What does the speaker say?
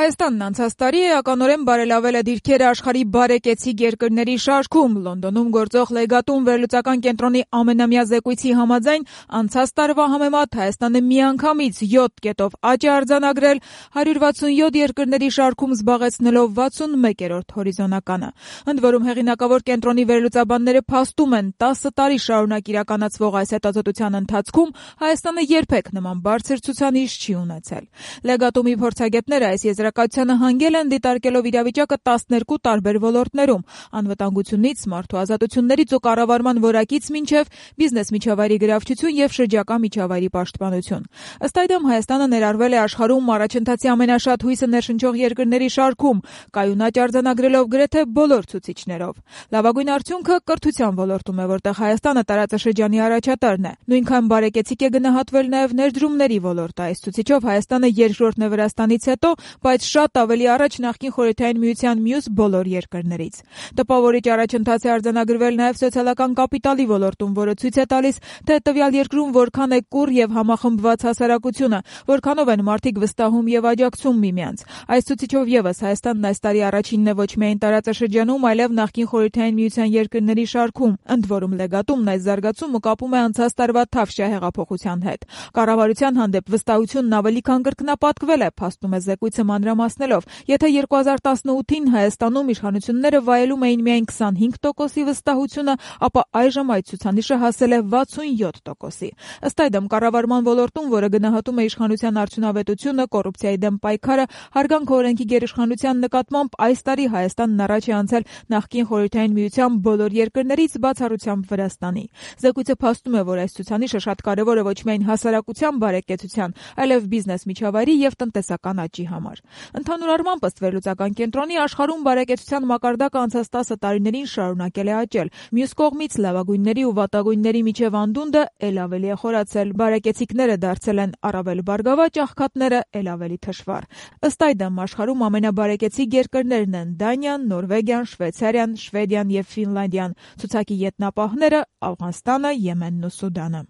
Հայաստանն անցած տարի էականորեն բարելավել է դիրքերը աշխարհի բարեկեցիկ երկրների շարքում։ Լոնդոնում գործող Legatum վերլուծական կենտրոնի ամենամյա զեկույցի համաձայն անցած տարվա համեմատ Հայաստանը միանգամից 7 կետով աճ է արձանագրել, 167 երկրների շարքում զբաղեցնելով 61-րդ հորիզոնականը։ Ընդ որում հեղինակավոր կենտրոնի վերլուծաբանները փաստում են 10 տարի շարունակ իրականացվող այս հետազոտության ընթացքում Հայաստանը երբեք նման բարձր ցուցանիշ չի ունեցել։ Legatum-ի փորձագետները այս եզրակացությանը հանգել են դիտարկելով իրավիճակը 12 տարբեր ոլորտներում՝ անվտանգությունից, մարդու ազատություններից ու կառավարման որակից մինչև բիզնես միջավայրի գրավչություն եւ շրջակա միջավայրի պաշտպանություն։ Ըստ այդմ Հայաստանը ներառվել է աշխարհում առաջընթացի ամենաշատ հույսը ներշնչող երկրների շարքում, կայուն աճ արձանագրելով գրեթե բոլոր ցուցիչներով։ Լավագույն արդյունքը կրթության ոլորտում է, որտեղ Հայաստանը տարածաշրջանի առաջատարն է։ Նույնքան բարեկեցիկ է գնահատվել նաեւ ներդրումների ոլորտը։ Այս ցուցիչով Հայաստանը երկրորդն է Վրաստանից հետո, բայց շատ ավելի առաջ նախկին Խորհրդային Միության մյուս բոլոր երկրներից։ Տպավորիչ առաջընթաց է արձանագրվել նաև սոցիալական կապիտալի ոլորտում, որը ցույց է տալիս, թե տվյալ երկրում որքան է կուռ եւ համախմբված հասարակությունը, որքանով են մարդիկ վստահում եւ աջակցում միմյանց։ Այս ցուցիչով եւս Հայաստանն այս տարի առաջինն է ոչ միայն տարածաշրջանում, այլև նախկին Խորհրդային Միության երկրների շարքում։ Ընդ որում Legatum-ն այս զարգացումը կապում է անցած տարվա Թավշյա հեղափոխության հետ։ Կառավարության հանդեպ վստահությունն ավելի քան կրկնապատկվել է, փաստում է զեկույցը մանրամասնելով, եթե 2018-ին Հայաստանում իշխանությունները վայելում էին միայն 25%-ի վստահությունը, ապա այժմ այդ ցուցանիշը հասել է 67%-ի։ Ըստ այդմ կառավարման ոլորտում, որը գնահատում է իշխանության արդյունավետությունը, կոռուպցիայի դեմ պայքարը, հարգանք օրենքի գերիշխանության նկատմամբ այս տարի Հայաստանն առաջ է անցել նախկին Խորհրդային Միության բոլոր երկրներից, բացառությամբ Վրաստանի։ Զեկույցը փաստում է, որ այս ցուցանիշը շատ կարևոր է ոչ միայն հասարակության բարեկեցության, այլև բիզնես միջավայրի եւ տնտեսական աճի համար։ Ընդհանուր առմամբ ըստ վերլուծական կենտրոնի աշխարհում բարեկեցության մակարդակը անցած 10 տարիներին շարունակել է աճել։ Մյուս կողմից լավագույնների ու վատագույնների միջև անդունդը ել ավելի է խորացել։ Բարեկեցիկները դարձել են առավել բարգավաճ, աղքատները ել ավելի թշվառ։ Ըստ այդմ աշխարհում ամենաբարեկեցիկ երկրներն են Դանիան, Նորվեգիան, Շվեյցարիան, Շվեդիան եւ Ֆինլանդիան։ Ցուցակի ետնապահները Աֆղանստանը, Եմենն ու Սուդանը։